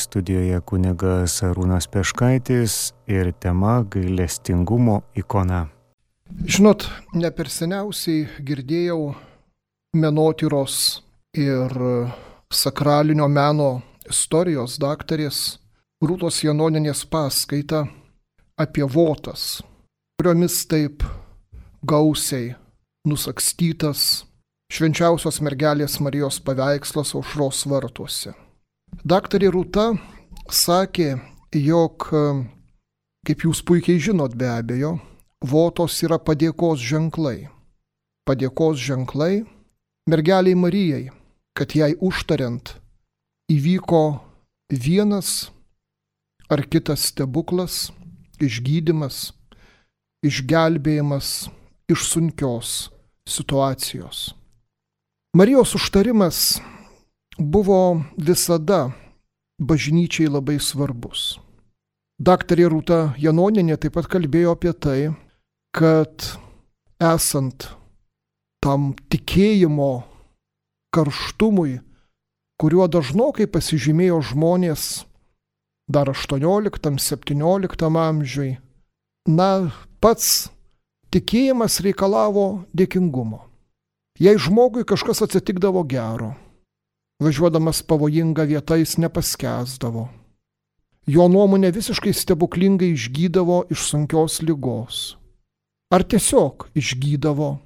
studijoje kunigas Arūnas Peškaitis ir tema gailestingumo ikona. Žinot, ne per seniausiai girdėjau menotyros ir sakralinio meno istorijos daktarės Rūtos Janonienės paskaitą apie votas, kuriomis taip gausiai nusakstytas švenčiausios mergelės Marijos paveikslas Aušros vartuose. Daktarė Rūta sakė, jog, kaip jūs puikiai žinot be abejo, votos yra padėkos ženklai. Padėkos ženklai mergeliai Marijai, kad jai užtariant įvyko vienas ar kitas stebuklas, išgydymas, išgelbėjimas iš sunkios situacijos. Marijos užtarimas buvo visada bažnyčiai labai svarbus. Daktarė Rūta Janonienė taip pat kalbėjo apie tai, kad esant tam tikėjimo karštumui, kuriuo dažnokai pasižymėjo žmonės dar 18-17 amžiui, pats tikėjimas reikalavo dėkingumo. Jei žmogui kažkas atsitikdavo gero, važiuodamas pavojinga vieta jis nepaskęsdavo. Jo nuomonė visiškai stebuklingai išgydavo iš sunkios ligos. Ar tiesiog išgydavo,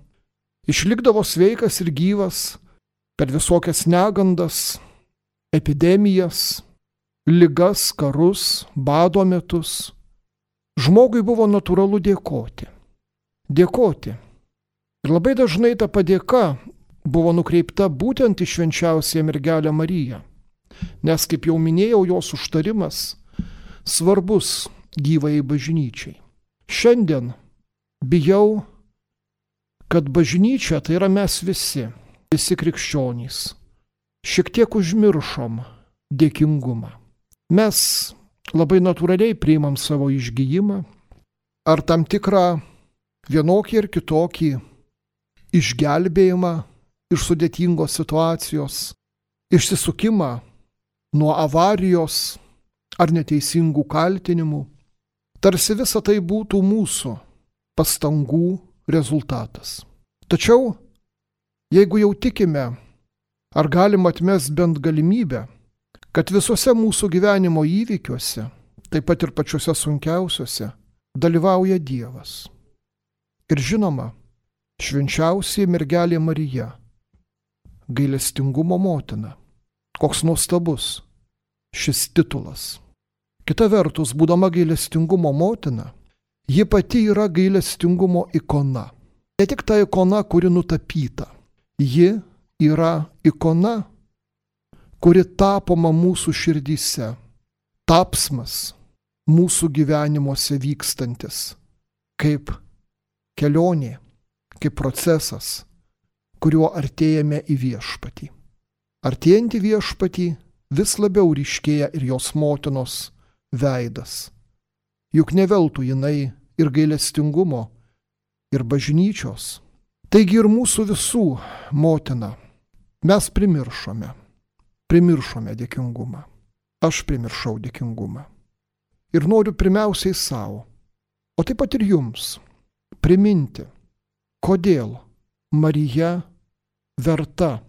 išlikdavo sveikas ir gyvas per visokias negandas, epidemijas, ligas, karus, bado metus. Žmogui buvo natūralu dėkoti. Dėkoti. Ir labai dažnai ta padėka buvo nukreipta būtent į švenčiausiąją mergelę Mariją, nes, kaip jau minėjau, jos užtarimas svarbus gyvajai bažnyčiai. Šiandien bijau, kad bažnyčia, tai yra mes visi krikščionys, šiek tiek užmiršom dėkingumą. Mes labai natūraliai priimam savo išgijimą ar tam tikrą vienokį ir kitokį išgelbėjimą iš sudėtingos situacijos, išsisukimą nuo avarijos ar neteisingų kaltinimų, tarsi visa tai būtų mūsų pastangų rezultatas. Tačiau, jeigu jau tikime, ar galima atmesti bent galimybę, kad visuose mūsų gyvenimo įvykiuose, taip pat ir pačiuose sunkiausiuose, dalyvauja Dievas. Ir žinoma, švenčiausiai mergelė Marija, gailestingumo motina. Koks nuostabus šis titulas. Kita vertus, būdama gailestingumo motina, ji pati yra gailestingumo ikona. Ne tik ta ikona, kuri nutapyta. Ji yra ikona, kuri tapoma mūsų širdyse. Tapsmas mūsų gyvenimuose vykstantis. Kaip kelionė, kaip procesas, kuriuo artėjame į viešpatį. Artėjant į viešpatį vis labiau ryškėja ir jos motinos veidas. Juk ne veltui jinai ir gailestingumo, ir bažnyčios. Taigi ir mūsų visų motina. Mes primiršome dėkingumą. Aš primiršau dėkingumą. Ir noriu pirmiausiai savo, o taip pat ir jums, priminti, kodėl Marija verta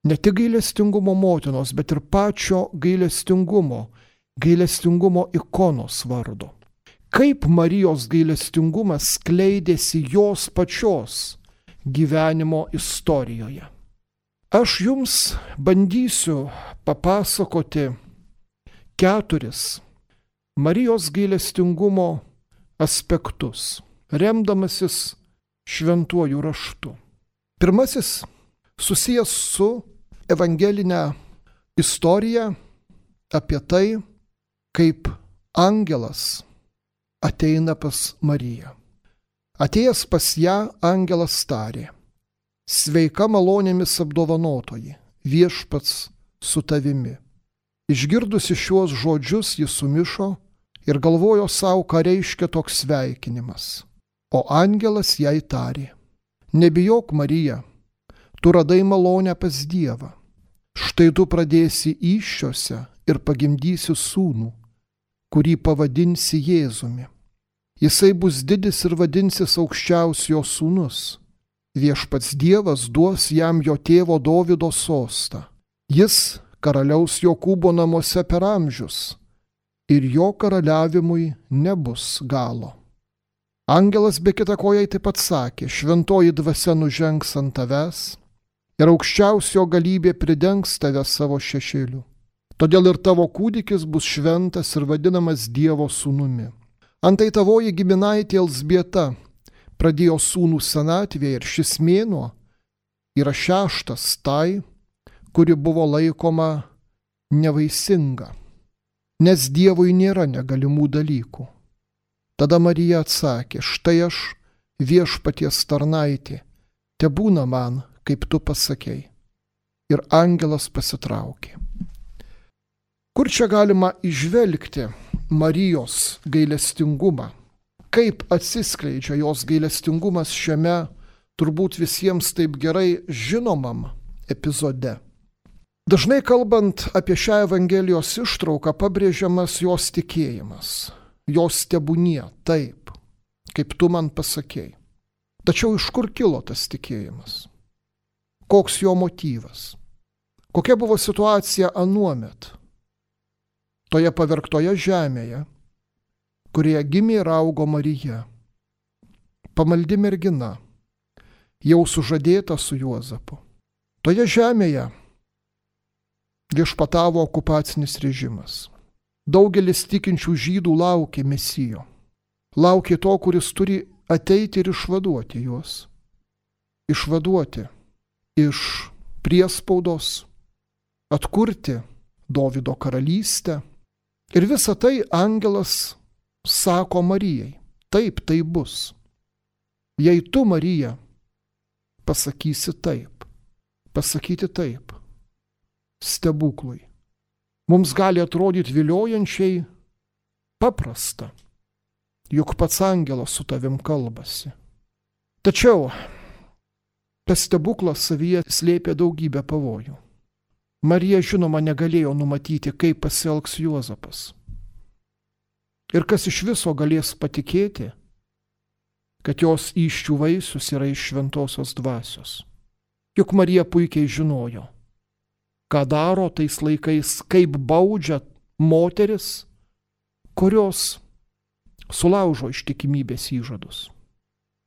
ne tik gailestingumo motinos, bet ir pačio gailestingumo ikonos vardo. Kaip Marijos gailestingumas skleidėsi jos pačios gyvenimo istorijoje. Aš jums bandysiu papasakoti 4 Marijos gailestingumo aspektus, remdamasis šventuoju raštu. Pirmasis susijęs su evangelinė istorija apie tai, kaip angelas ateina pas Mariją. Atėjęs pas ją, angelas tarė: sveika malonėmis apdovanotoji, viešpats su tavimi. Išgirdusi šiuos žodžius, ji sumišo ir galvojo savo, ką reiškia toks sveikinimas. O angelas jai tarė: nebijok, Marija, tu radai malonę pas Dievą. Štai tu pradėsi įsčiose ir pagimdysi sūnų, kurį pavadinsi Jėzumi. Jisai bus didis ir vadinsis Aukščiausiojo sūnus. Viešpats Dievas duos jam jo tėvo Dovydo sostą. Jis karaliaus Jokūbo namuose per amžius ir jo karaliavimui nebus galo. Angelas be kita ko jai taip pat sakė, šventoji dvasia nužengs ant tavęs ir aukščiausio galybė pridengs tave savo šešėliu. Todėl ir tavo kūdikis bus šventas ir vadinamas Dievo sūnumi. Antai tavoji giminaitė Elzbieta pradėjo sūnų senatvėje ir šis mėnuo yra 6 tai, kuri buvo laikoma nevaisinga, nes Dievui nėra negalimų dalykų. Tada Marija atsakė, štai aš, Viešpaties tarnaitė, tebūna man, kaip tu pasakei. Ir angelas pasitraukė. Kur čia galima įžvelgti Marijos gailestingumą? Kaip atsiskleidžia jos gailestingumas šiame turbūt visiems taip gerai žinomam epizode? Dažnai kalbant apie šią Evangelijos ištrauką pabrėžiamas jos tikėjimas. Jos tebūnie taip, kaip tu man pasakei. Tačiau iš kur kilo tas tikėjimas? Koks jo motyvas? Kokia buvo situacija anuomet? Toje pavergtoje žemėje, kurioje gimė ir augo Marija, pamaldi mergina, jau sužadėta su Juozapu. Toje žemėje viešpatavo okupacinis režimas. Daugelis tikinčių žydų laukė Mesijo. Laukė to, kuris turi ateiti ir išvaduoti juos. Išvaduoti iš priespaudos, atkurti Dovydo karalystę. Ir visą tai angelas sako Marijai. Taip, tai bus. Jei tu, Marija, pasakysi taip, pasakyti taip, stebuklui. Mums gali atrodyti viliojančiai paprasta, juk pats angelas su tavim kalbasi. Tačiau tas stebuklas savyje slėpė daugybę pavojų. Marija, žinoma, negalėjo numatyti, kaip pasielgs Juozapas. Ir kas iš viso galės patikėti, kad jos įsčių vaisius yra iš šventosios dvasios. Juk Marija puikiai žinojo, ką daro tais laikais, kaip baudžia moteris, kurios sulaužo ištikimybės įžadus.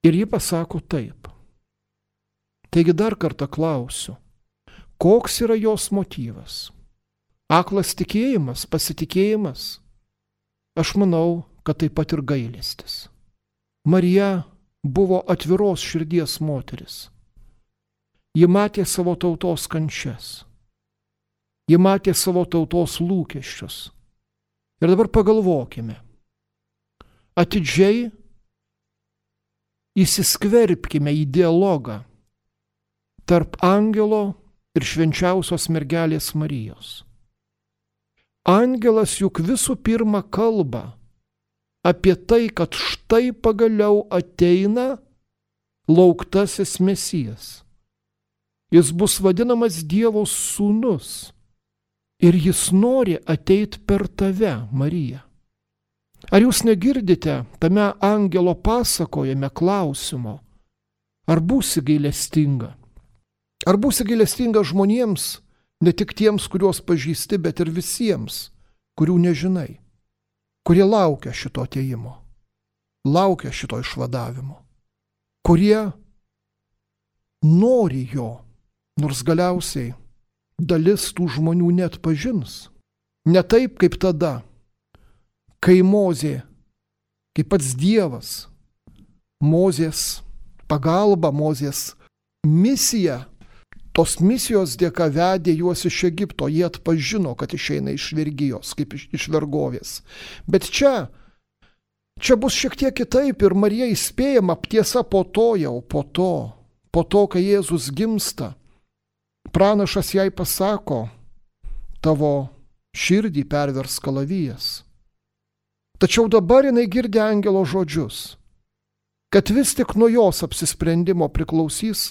Ir ji pasako taip. Taigi dar kartą klausiu, koks yra jos motyvas? Aklas tikėjimas, pasitikėjimas? Aš manau, kad taip pat ir gailestis. Marija buvo atviros širdies moteris. Ji matė savo tautos kančias. Ji matė savo tautos lūkesčius. Ir dabar pagalvokime. Atidžiai įsiskverbkime į dialogą tarp angelo ir švenčiausios mergelės Marijos. Angelas juk visų pirma kalba apie tai, kad štai pagaliau ateina lauktasis Mesijas. Jis bus vadinamas Dievo sūnus ir jis nori ateiti per tave, Marija. Ar jūs negirdite tame angelo pasakojime klausimo, ar būsi gailestinga? Ar būsi gailestinga žmonėms, ne tik tiems, kuriuos pažįsti, bet ir visiems, kurių nežinai, kurie laukia šito atėjimo, laukia šito išvadavimo, kurie nori jo, nors galiausiai dalis tų žmonių net pažins. Ne taip kaip tada, kai Mozė, kaip pats Dievas, Mozės pagalba, Mozės misija, tos misijos dėka vedė juos iš Egipto, jie atpažino, kad išeina iš vergijos, kaip iš vergovės. Bet čia bus šiek tiek kitaip ir Marija įspėjama, tiesa po to, kai Jėzus gimsta, pranašas jai pasako, tavo širdį pervers kalavijas. Tačiau dabar jinai girdi angelo žodžius, kad vis tik nuo jos apsisprendimo priklausys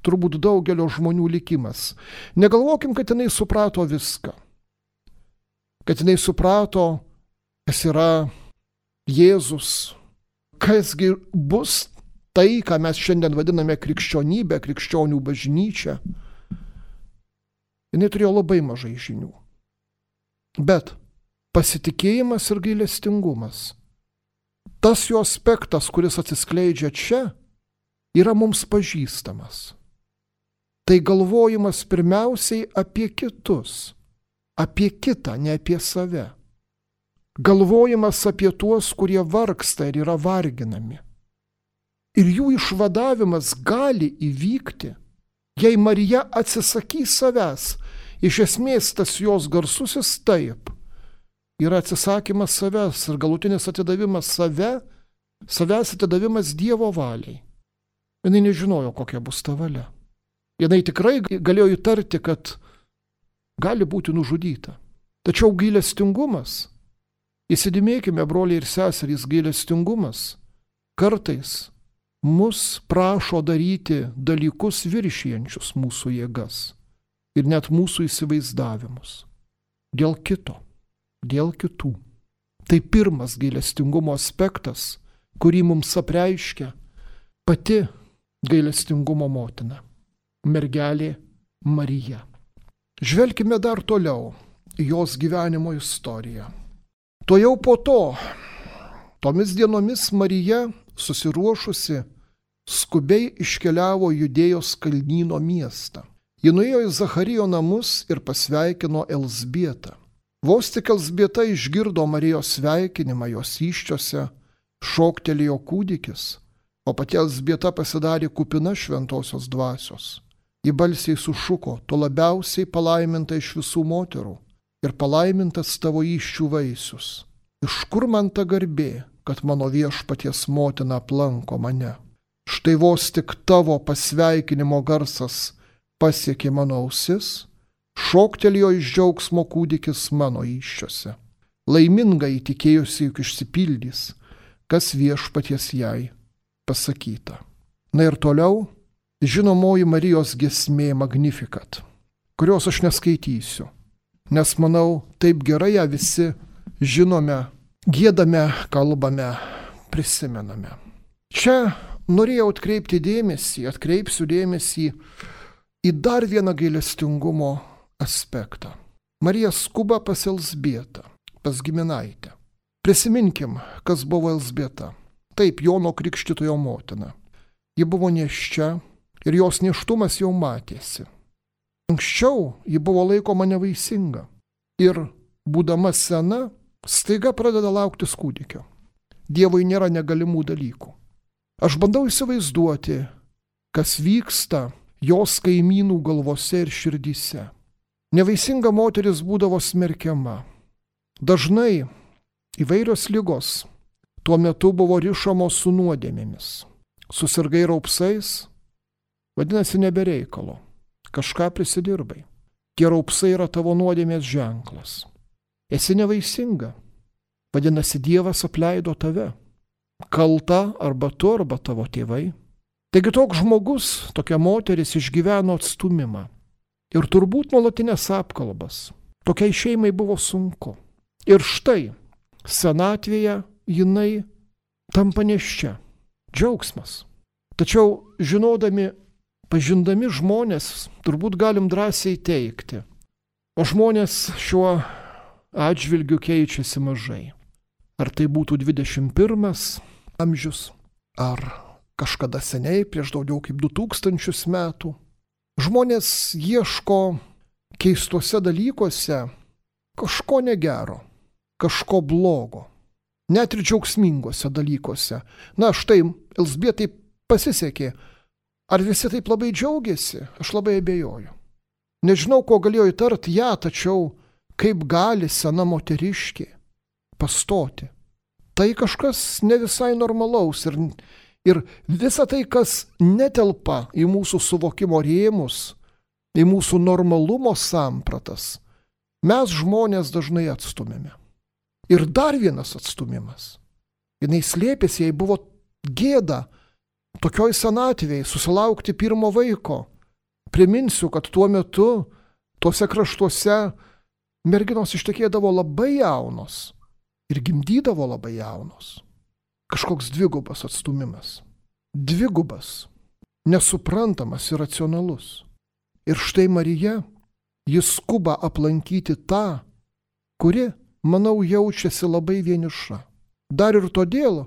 turbūt daugelio žmonių likimas. Negalvokim, kad jinai suprato viską. kad jinai suprato, kas yra Jėzus, kasgi bus tai, ką mes šiandien vadiname krikščionybė, krikščionių bažnyčia. Jinai turėjo labai mažai žinių. Bet pasitikėjimas ir gailestingumas, tas jo aspektas, kuris atsiskleidžia čia, yra mums pažįstamas. Tai galvojimas pirmiausiai apie kitus, apie kitą, ne apie save. Galvojimas apie tuos, kurie vargsta ir yra varginami. Ir jų išvadavimas gali įvykti, jei Marija atsisakys savęs. Iš esmės tas jos garsusis taip yra atsisakymas savęs ir galutinis atidavimas savęs atidavimas Dievo valiai. Jinai nežinojo, kokia bus ta valia. Jinai tikrai galėjo įtarti, kad gali būti nužudyta. Tačiau gailestingumas, įsidėmėkime, broliai ir seserys, gailestingumas kartais mus prašo daryti dalykus viršijančius mūsų jėgas ir net mūsų įsivaizdavimus. Dėl kito, dėl kitų. Tai pirmas gailestingumo aspektas, kurį mums apreiškia pati gailestingumo motina, mergelė Marija. Žvelkime dar toliau į jos gyvenimo istoriją. Tuojau po to, tomis dienomis Marija, susiruošusi, skubiai iškeliavo Judėjos kalnyno miestą. Ji nuėjo į Zacharijo namus ir pasveikino Elzbietą. Vos tik Elzbieta išgirdo Marijos sveikinimą, jos įsčiose šoktelėjo kūdikis, o pati Elzbieta pasidarė kupina šventosios dvasios. Ji balsiai sušuko: tu labiausiai palaiminta iš visų moterų ir palaimintas tavo įsčių vaisius. Iš kur man ta garbė, kad mano viešpaties motina aplanko mane? Štai vos tik tavo pasveikinimo garsas pasiekė mano ausis, šoktelėjo iš džiaugsmo kūdikis mano įsčiose. Laiminga įtikėjusi, juk išsipildys, kas viešpaties jai pasakyta. Na ir toliau žinomoji Marijos giesmė Magnificat, kurios aš neskaitysiu, nes manau, taip gerai ją visi žinome, giedame, kalbame, prisimename. Čia norėjau atkreipsiu dėmesį į dar vieną gailestingumo aspektą. Marija skuba pas Elzbietą, pas giminaitę. Prisiminkim, kas buvo Elzbieta. Taip, Jono Krikštytojo motina. Ji buvo nėščia ir jos nėštumas jau matėsi. Anksčiau ji buvo laikoma nevaisinga ir, būdama sena, staiga pradeda lauktis kūdikio. Dievui nėra negalimų dalykų. Aš bandau įsivaizduoti, kas vyksta jos kaimynų galvose ir širdyse. Nevaisinga moteris būdavo smerkiama. Dažnai įvairios ligos tuo metu buvo rišamos su nuodėmėmis. Susirgai raupsais, vadinasi nebereikalo. Kažką prisidirbai. Tie raupsai yra tavo nuodėmės ženklas. Esi nevaisinga. Vadinasi, Dievas apleido tave. Kalta arba tu, arba tavo tėvai. Taigi toks žmogus, tokia moteris išgyveno atstūmimą. Ir turbūt nuolatinės apkalbas. Tokiai šeimai buvo sunku. Ir štai, senatvėje jinai tampa nėščia. Džiaugsmas. Tačiau žinodami, pažindami žmonės, turbūt galim drąsiai teigti, o žmonės šiuo atžvilgiu keičiasi mažai. Ar tai būtų 21 amžius, ar kažkada seniai, prieš daugiau kaip 2000 metų. Žmonės ieško keistuose dalykuose kažko negero, kažko blogo, net ir džiaugsmingose dalykuose. Na štai, Elzbietai pasisekė. Ar visi taip labai džiaugiasi? Aš labai abejoju. Nežinau, ko galėjo įtarti ją, tačiau kaip gali sena moteriškė pastoti. Tai kažkas ne visai normalaus ir visa tai, kas netelpa į mūsų suvokimo rėmus, į mūsų normalumo sampratas, mes žmonės dažnai atstumėme. Ir dar vienas atstumimas. Jinai slėpėsi, jai buvo gėda tokioj senatvėj susilaukti pirmo vaiko. Priminsiu, kad tuo metu tuose kraštuose merginos ištekėdavo labai jaunos ir gimdydavo labai jaunos. Kažkoks dvigubas atstumimas. Dvigubas, nesuprantamas ir racionalus. Ir štai Marija, jis skuba aplankyti tą, kuri, manau, jaučiasi labai vieniša. Dar ir todėl,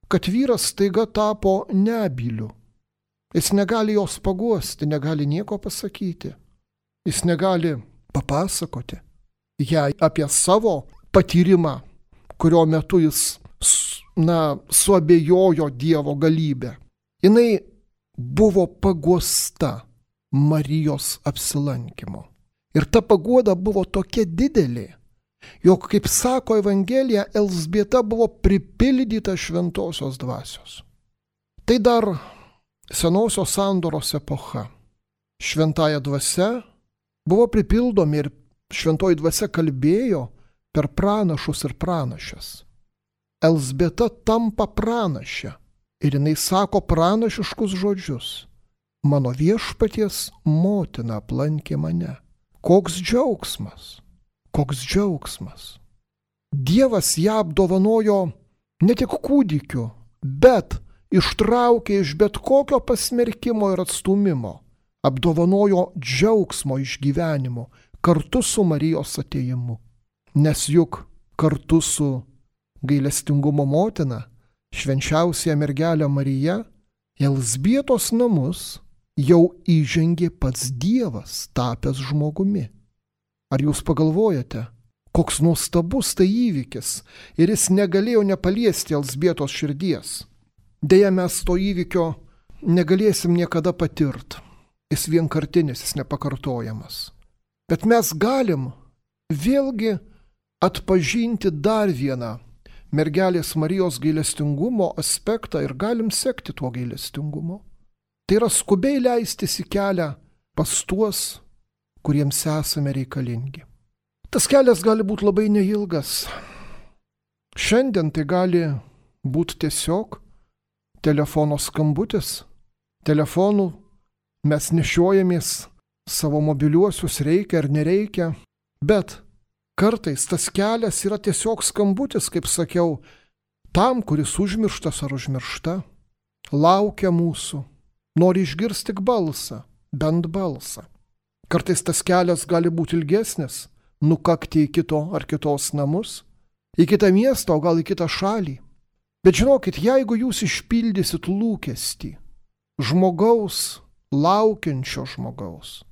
kad vyras staiga tapo nebyliu. Jis negali jos paguosti, negali nieko pasakyti. Jis negali papasakoti jai apie savo patyrimą, kurio metu jis, suabejojo Dievo galybę. Jinai buvo paguosta Marijos apsilankimo. Ir ta paguoda buvo tokia didelė, jog, kaip sako Evangelija, Elzbieta buvo pripildyta šventosios dvasios. Tai dar senosios sandoros epocha. Šventąja dvasia buvo pripildomi ir šventoji dvasia kalbėjo per pranašus ir pranašes. Elzbieta tampa pranašė ir jinai sako pranašiškus žodžius. Mano viešpaties motina aplankė mane. Koks džiaugsmas, koks džiaugsmas. Dievas ją apdovanojo ne tik kūdikiu, bet ištraukė iš bet kokio pasmerkimo ir atstūmimo. Apdovanojo džiaugsmo išgyvenimu kartu su Marijos atėjimu. Nes juk kartu su gailestingumo motina, švenčiausia mergelė Marija, Elzbietos namus jau įžengė pats Dievas, tapęs žmogumi. Ar jūs pagalvojate, koks nuostabus tai įvykis ir jis negalėjo nepaliesti Elzbietos širdies? Deja, mes to įvykio negalėsim niekada patirti. Jis vienkartinis, jis nepakartojamas. Bet mes galim vėlgi atpažinti dar vieną mergelės Marijos gailestingumo aspektą ir galim sekti tuo gailestingumu. Tai yra skubiai leistis į kelią pas tuos, kuriems esame reikalingi. Tas kelias gali būti labai neilgas. Šiandien tai gali būti tiesiog telefono skambutis. Telefonų mes nešiojamės savo mobiliuosius, reikia ar nereikia, bet kartais tas kelias yra tiesiog skambutis, kaip sakiau, tam, kuris užmirštas ar užmiršta, laukia mūsų, nori išgirsti tik balsą, bent balsą. Kartais tas kelias gali būti ilgesnis, nukakti į kito ar kitos namus, į kitą miestą, o gal į kitą šalį. Bet žinokit, jeigu jūs išpildysit lūkestį žmogaus, laukiančio žmogaus,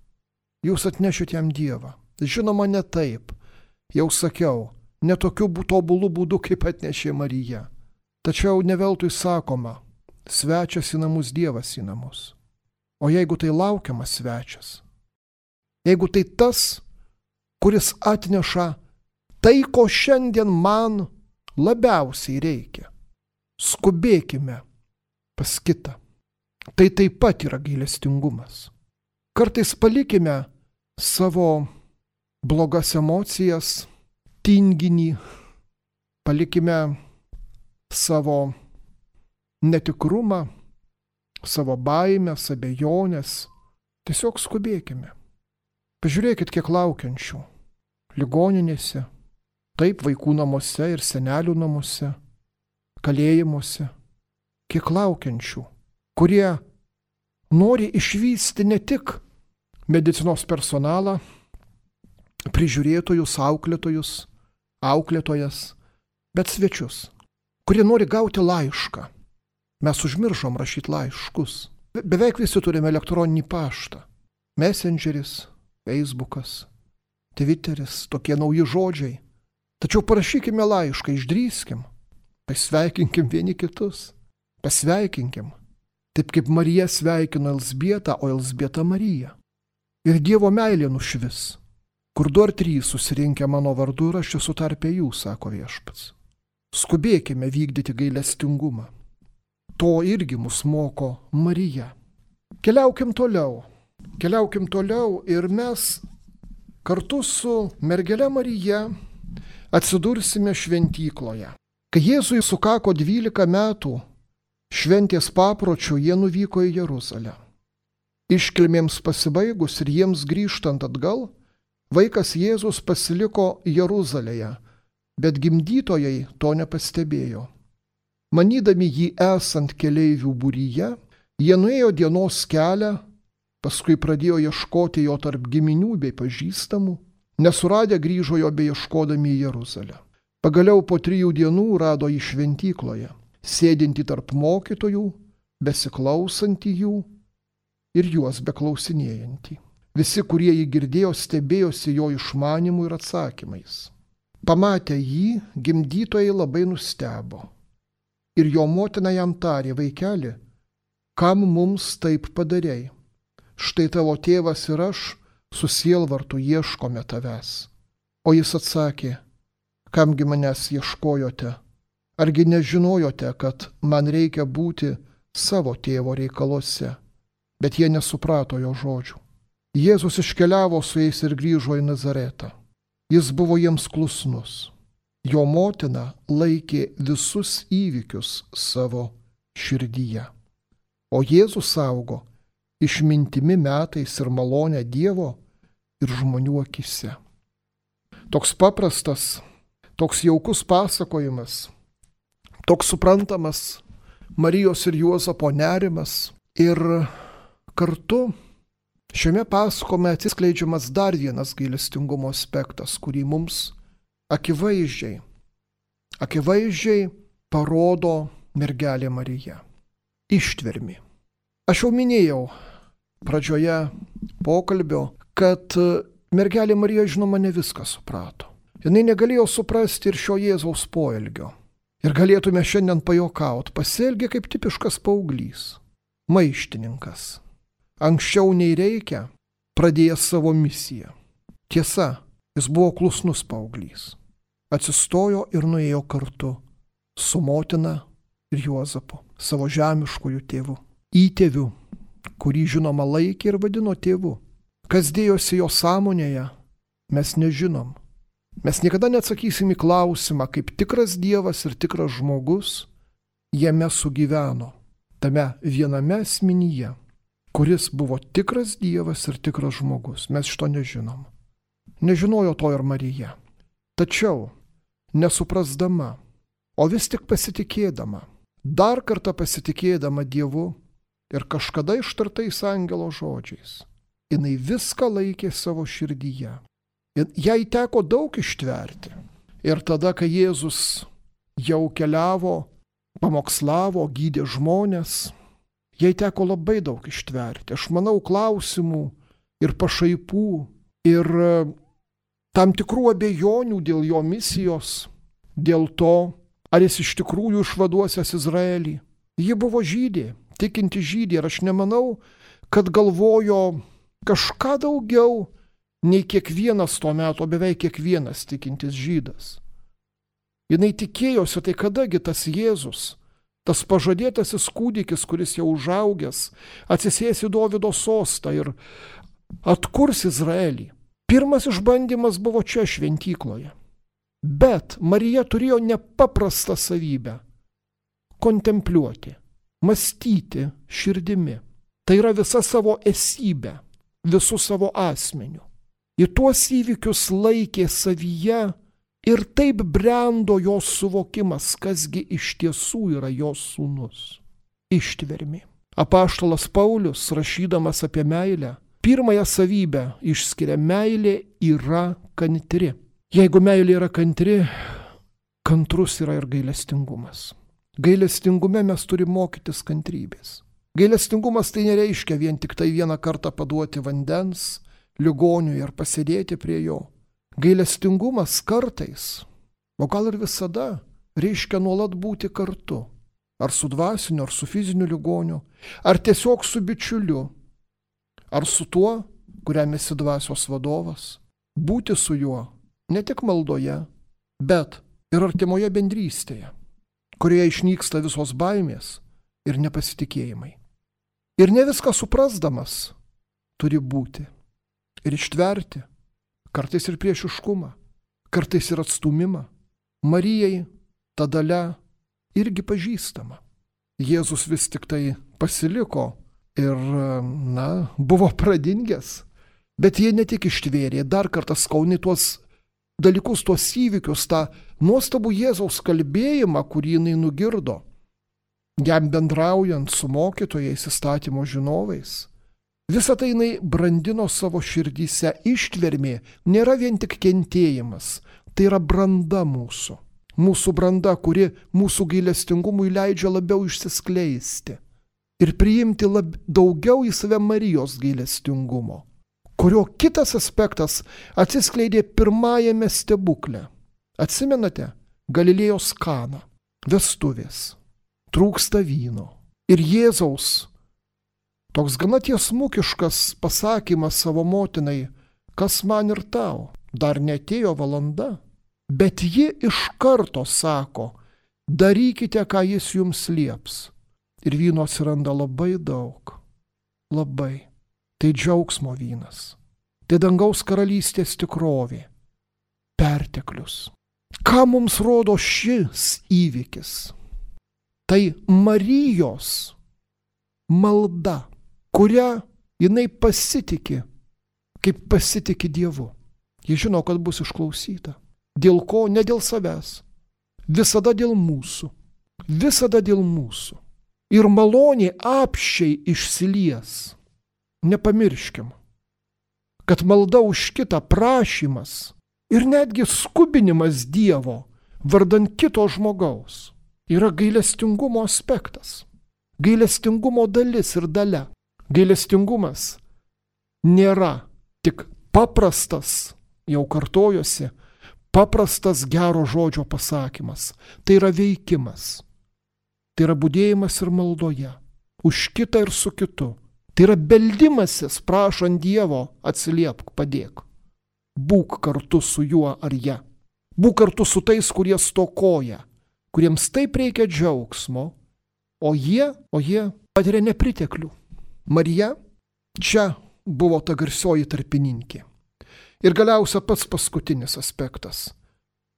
jūs atnešit jam Dievą. Žinoma, ne taip. Jau sakiau, ne tokiu tobulu būdu, kaip atnešė Marija. Tačiau ne veltui sakoma, svečias į namus, Dievas į namus. O jeigu tai laukiamas svečias, jeigu tai tas, kuris atneša tai, ko šiandien man labiausiai reikia, skubėkime pas kitą. Tai taip pat yra gailestingumas. Kartais palikime savo blogas emocijas, tinginį, palikime savo netikrumą, savo baimės, abejonės. Tiesiog skubėkime. Pažiūrėkit, kiek laukiančių. Ligoninėse, taip vaikų namuose ir senelių namuose, kalėjimuose. Kiek laukiančių, kurie nori išvysti ne tik medicinos personalą, prižiūrėtojus, auklėtojas, bet svečius, kurie nori gauti laišką. Mes užmiršom rašyti laiškus. Beveik visi turime elektroninį paštą. Messengeris, Facebookas, Twitteris, tokie nauji žodžiai. Tačiau parašykime laišką, išdrįskim, pasveikinkim vieni kitus, pasveikinkim. Taip kaip Marija sveikino Elzbietą, o Elzbieta Mariją. Ir Dievo meilė nušvis. Kur 2 ar 3 susirinkę mano vardu ir aš esu tarpe jų, sako Viešpats. Skubėkime vykdyti gailestingumą. To irgi mus moko Marija. Keliaukim toliau ir mes kartu su mergele Marija atsidursime šventykloje. Kai Jėzui sukako 12 metų, šventės papročių jie nuvyko į Jeruzalę. Iškilmėms pasibaigus ir jiems grįžtant atgal, Vaikas Jėzus pasiliko Jeruzalėje, bet gimdytojai to nepastebėjo. Manydami jį esant keleivių būryje, jie nuėjo dienos kelią, paskui pradėjo ieškoti jo tarp giminių bei pažįstamų, nesuradę grįžo jo beieškodami į Jeruzalę. Pagaliau po 3 dienų rado jį šventykloje, sėdintį tarp mokytojų, besiklausantį jų ir juos beklausinėjantį. Visi, kurie jį girdėjo, stebėjosi jo išmanimu ir atsakymais. Pamatę jį, gimdytojai labai nustebo. Ir jo motina jam tarė: vaikeli, kam mums taip padarei? Štai tavo tėvas ir aš su sielvartu ieškome tavęs. O jis atsakė: kamgi manęs ieškojote? Argi nežinojote, kad man reikia būti savo tėvo reikaluose? Bet jie nesuprato jo žodžių. Jėzus iškeliavo su jais ir grįžo į Nazaretą. Jis buvo jiems klusnus. Jo motina laikė visus įvykius savo širdyje. O Jėzus augo išmintimi metais ir malonę Dievo ir žmonių akise. Toks paprastas, toks jaukus pasakojimas, toks suprantamas Marijos ir Juozapo nerimas ir kartu šiame pasakojime atsiskleidžiamas dar vienas gailestingumo aspektas, kurį mums akivaizdžiai parodo mergelė Marija. Ištvermė. Aš jau minėjau pradžioje pokalbio, kad mergelė Marija, žinoma, ne viską suprato. Jinai negalėjo suprasti ir šio Jėzaus poelgio. Ir galėtume šiandien pajuokauti, pasielgė kaip tipiškas paauglys, maištininkas. Anksčiau nei reikia, pradėjęs savo misiją. Tiesa, jis buvo klusnus paauglys. Atsistojo ir nuėjo kartu su motina ir Juozapu, savo žemiškųjų tėvu. Įtėviu, kurį žinoma laikė ir vadino tėvu. Kas dėjosi jo sąmonėje, mes nežinom. Mes niekada neatsakysim į klausimą, kaip tikras Dievas ir tikras žmogus jame sugyveno, tame viename asmenyje, kuris buvo tikras Dievas ir tikras žmogus. Mes šito nežinom. Nežinojo to ir Marija. Tačiau, nesuprasdama, o vis tik pasitikėdama, dar kartą pasitikėdama Dievu ir kažkada ištartais angelo žodžiais, jinai viską laikė savo širdyje. Jai teko daug ištverti. Ir tada, kai Jėzus jau keliavo, pamokslavo, gydė žmones, jai teko labai daug ištverti. Aš manau, klausimų ir pašaipų ir tam tikrų abejonių dėl jo misijos, dėl to, ar jis iš tikrųjų išvaduosias Izraelį. Ji buvo žydė, tikinti žydė, ir aš nemanau, kad galvojo kažką daugiau nei kiekvienas to meto, beveik kiekvienas tikintis žydas. Jinai tikėjosi, tai kadagi tas Jėzus, tas pažadėtasis kūdikis, kuris jau užaugęs, atsisės į Dovydo sostą ir atkurs Izraelį. Pirmas išbandymas buvo čia šventykloje. Bet Marija turėjo nepaprastą savybę – kontempliuoti, mąstyti širdimi. Tai yra visa savo esybė, visų savo asmeniu. Į tuos įvykius laikė savyje ir taip brendo jos suvokimas, kasgi iš tiesų yra jos sūnus. Ištvermė. Apaštalas Paulius, rašydamas apie meilę, pirmąją savybę išskiria: meilė yra kantri. Jeigu meilė yra kantri, kantrus yra ir gailestingumas. Gailestingume mes turime mokytis kantrybės. Gailestingumas tai nereiškia vien tik tai vieną kartą paduoti vandens ligoniui ir pasėdėti prie jo. Gailestingumas kartais, o gal ir visada, reiškia nuolat būti kartu. Ar su dvasiniu, ar su fiziniu ligoniu, ar tiesiog su bičiuliu, ar su tuo, kuriam esi dvasios vadovas. Būti su juo ne tik maldoje, bet ir artimoje bendrystėje, kurioje išnyksta visos baimės ir nepasitikėjimai. Ir ne viską suprasdamas turi būti ir ištverti, kartais ir priešiškumą, kartais ir atstūmimą. Marijai ta dalia irgi pažįstama. Jėzus vis tik tai pasiliko ir, buvo pradingęs, Bet jie ne tik ištvėrė, dar kartą skauni tuos dalykus, tuos įvykius, tą nuostabų Jėzaus kalbėjimą, kurį jinai nugirdo, jam bendraujant su mokytojais, įstatymo žinovais. Visą tai jinai brandino savo širdyse. Ištvermė nėra vien tik kentėjimas, tai yra branda mūsų. Mūsų branda, kuri mūsų gailestingumui leidžia labiau išsiskleisti ir priimti daugiau į save Marijos gailestingumo, kurio kitas aspektas atsiskleidė pirmajame stebukle. Atsimenate? Galilėjos Kana, vestuvės, trūksta vyno. Ir Jėzaus toks gana tiesmukiškas pasakymas savo motinai, kas man ir tau, dar neatėjo valanda. Bet ji iš karto sako, darykite, ką jis jums lieps. Ir vyno atsiranda labai daug. Labai. Tai džiaugsmo vynas. Tai dangaus karalystės tikrovė. Perteklius. Ką mums rodo šis įvykis? Tai Marijos malda, kurią jinai pasitikė, kaip pasitikė Dievu. Ji žino, kad bus išklausyta. Dėl ko? Ne dėl savęs. Visada dėl mūsų. Visada dėl mūsų. Ir malonė apsčiai išsilies. Nepamirškim, kad malda už kitą, prašymas ir netgi skubinimas Dievo vardan kito žmogaus yra gailestingumo aspektas. Gailestingumo dalis ir dalia. Gailestingumas nėra tik paprastas, jau kartojosi, paprastas gero žodžio pasakymas. Tai yra veikimas. Tai yra budėjimas ir maldoje. Už kitą ir su kitu. Tai yra beldimasis, prašant Dievo, atsiliepk, padėk. Būk kartu su juo ar ja. Būk kartu su tais, kurie stokoja, kuriems taip reikia džiaugsmo, o jie patiria nepriteklių. Marija čia buvo ta garsioji tarpininkė. Ir galiausia pats paskutinis aspektas.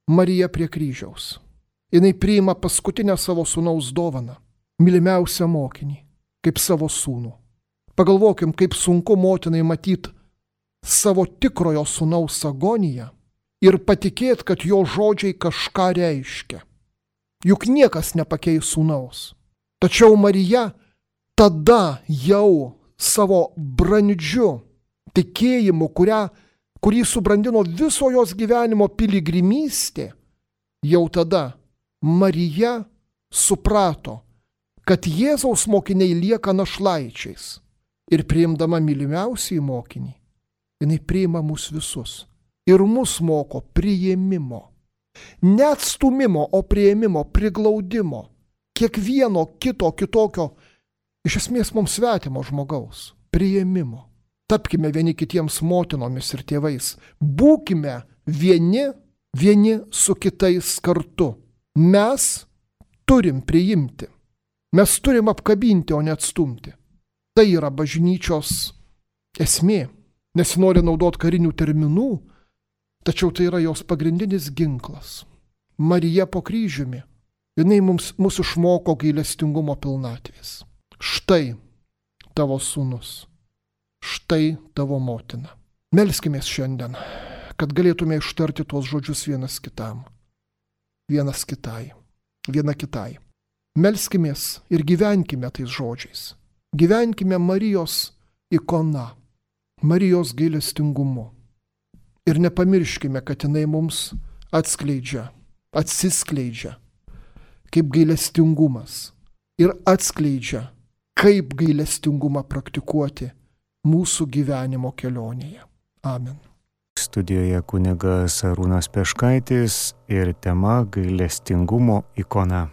Marija prie kryžiaus. Jinai priima paskutinę savo sūnaus dovaną, mylimiausią mokinį, kaip savo sūnų. Pagalvokim, kaip sunku motinai matyti savo tikrojo sūnaus agoniją ir patikėti, kad jo žodžiai kažką reiškia. Juk niekas nepakeis sūnaus. Tačiau Marija tada jau savo brandžiu tikėjimu, kurį subrandino viso jos gyvenimo piligrimystė, jau tada Marija suprato, kad Jėzaus mokiniai lieka našlaičiais. Ir priimdama mylimiausiai mokinį, jinai priima mus visus. Ir mus moko priėmimo. Ne atstūmimo, o priėmimo, priglaudimo. Kiekvieno kitokio, iš esmės mums svetimo žmogaus. Priėmimo. Tapkime vieni kitiems motinomis ir tėvais. Būkime vieni su kitais kartu. Mes turim priimti. Mes turim apkabinti, o ne atstumti. Tai yra bažnyčios esmė. Nesinori naudoti karinių terminų, tačiau tai yra jos pagrindinis ginklas. Marija po kryžiumi. Jinai mus išmoko gailestingumo pilnatvės. Štai tavo sūnus. Štai tavo motina. Melskimės šiandien, kad galėtume ištarti tuos žodžius vienas kitam. Vienas kitai. Viena kitai. Melskimės ir gyvenkime tais žodžiais. Gyvenkime Marijos ikona, Marijos gailestingumu. Ir nepamirškime, kad jinai mums atsiskleidžia kaip gailestingumas. Ir atskleidžia, kaip gailestingumą praktikuoti mūsų gyvenimo kelionėje. Amen. Studijoje kunigas Arūnas Peškaitis ir tema gailestingumo ikona.